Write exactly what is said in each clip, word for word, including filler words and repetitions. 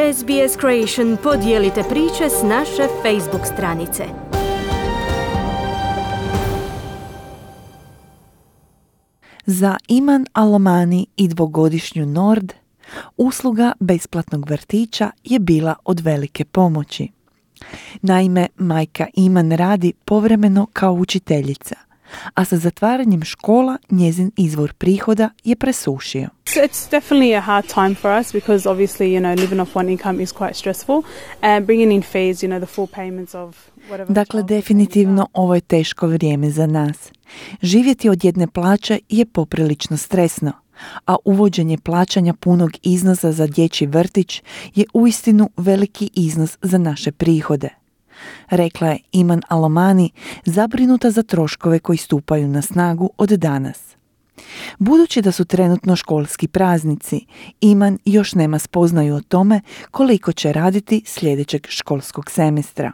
S B S Creation podijelite priče s naše Facebook stranice. Za Iman Al-Omani i dvogodišnju Nord, usluga besplatnog vrtića je bila od velike pomoći. Naime, majka Iman radi povremeno kao učiteljica, a sa zatvaranjem škola njezin izvor prihoda je presušio. It's definitely a hard time for us because obviously, you know, living off one income is quite stressful and bringing in fees, you know, the full payments of whatever. Dakle, definitivno ovo je teško vrijeme za nas. Živjeti od jedne plaće je poprilično stresno, a uvođenje plaćanja punog iznosa za dječji vrtić je uistinu veliki iznos za naše prihode, rekla je Iman Al-Omani, zabrinuta za troškove koji stupaju na snagu od danas. Budući da su trenutno školski praznici, Iman još nema spoznaju o tome koliko će raditi sljedećeg školskog semestra.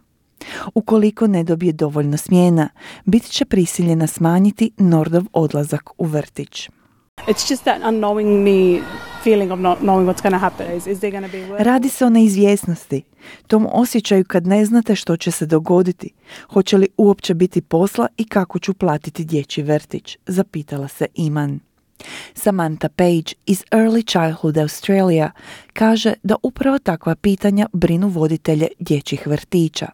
Ukoliko ne dobije dovoljno smjena, bit će prisiljena smanjiti Nordov odlazak u vrtić. It's just that unknowingly feeling of not knowing what's going to happen. Is, is there going to be work? Radi se o neizvjesnosti, tom osjećaju kad ne znate što će se dogoditi, hoće li uopće biti posla i kako ću platiti dječji vrtić, zapitala se Iman. Samantha Page iz Early Childhood Australia kaže da upravo takva pitanja brinu voditelje dječjih vrtića.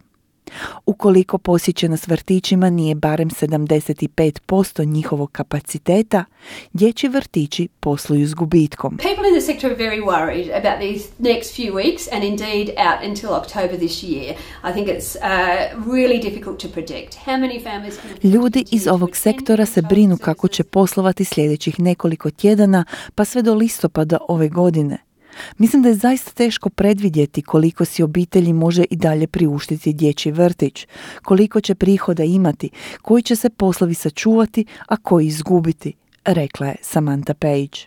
Ukoliko posjećenost vrtićima nije barem sedamdeset pet posto njihovog kapaciteta, dječji vrtići posluju s gubitkom. People in the sector are very worried about these next few weeks and indeed out until October this year. I think it's uh, really difficult to predict how many families can... Ljudi iz ovog sektora se brinu kako će poslovati sljedećih nekoliko tjedana pa sve do listopada ove godine. Mislim da je zaista teško predvidjeti koliko si obitelji može i dalje priuštiti dječji vrtić, koliko će prihoda imati, koji će se poslovi sačuvati, a koji izgubiti, rekla je Samantha Page.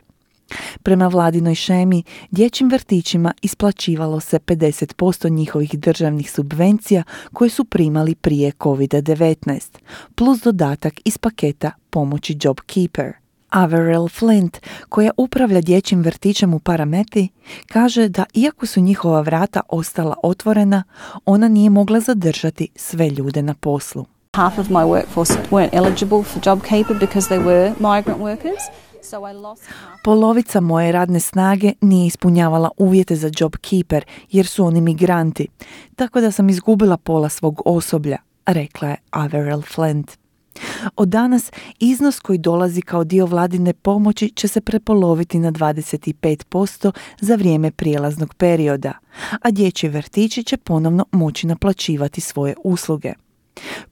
Prema vladinoj šemi, dječjim vrtićima isplaćivalo se pedeset posto njihovih državnih subvencija koje su primali prije kovid devetnaest, plus dodatak iz paketa pomoći JobKeeper. Averell Flint, koja upravlja dječjim vrtićem u Parameti, kaže da iako su njihova vrata ostala otvorena, ona nije mogla zadržati sve ljude na poslu. Half of my workforce weren't eligible for JobKeeper because they were migrant workers. So I lost half. Polovica moje radne snage nije ispunjavala uvjete za JobKeeper jer su oni migranti, tako da sam izgubila pola svog osoblja, rekla je Averell Flint. Od danas iznos koji dolazi kao dio vladine pomoći će se prepoloviti na dvadeset pet posto za vrijeme prijelaznog perioda, a dječji vrtići će ponovno moći naplaćivati svoje usluge.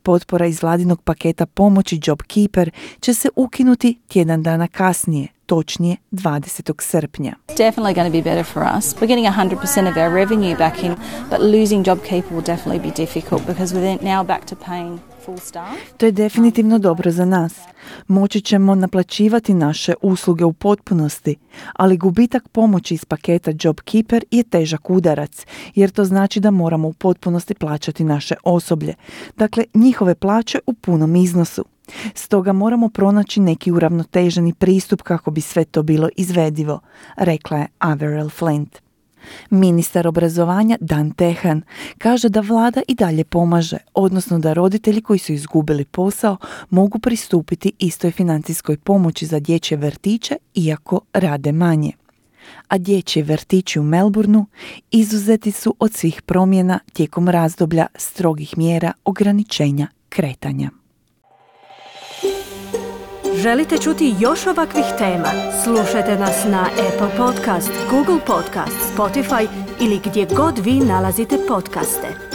Potpora iz vladinog paketa pomoći JobKeeper će se ukinuti tjedan dana kasnije, točnije dvadesetog srpnja. Definitely going to be better for us. We're getting one hundred percent of our revenue back in, but losing JobKeeper will definitely be difficult because we're now back to paying full staff. To je definitivno dobro za nas. Moći ćemo naplaćivati naše usluge u potpunosti, ali gubitak pomoći iz paketa JobKeeper je težak udarac, jer to znači da moramo u potpunosti plaćati naše osoblje, dakle njihove plaće u punom iznosu. Stoga moramo pronaći neki uravnoteženi pristup kako bi sve to bilo izvedivo, rekla je Averell Flint. Ministar obrazovanja Dan Tehan kaže da vlada i dalje pomaže, odnosno da roditelji koji su izgubili posao mogu pristupiti istoj financijskoj pomoći za dječje vrtiće iako rade manje. A dječji vrtići u Melbourneu izuzeti su od svih promjena tijekom razdoblja strogih mjera ograničenja kretanja. Želite čuti još ovakvih tema? Slušajte nas na Apple Podcast, Google Podcast, Spotify ili gdje god vi nalazite podcaste.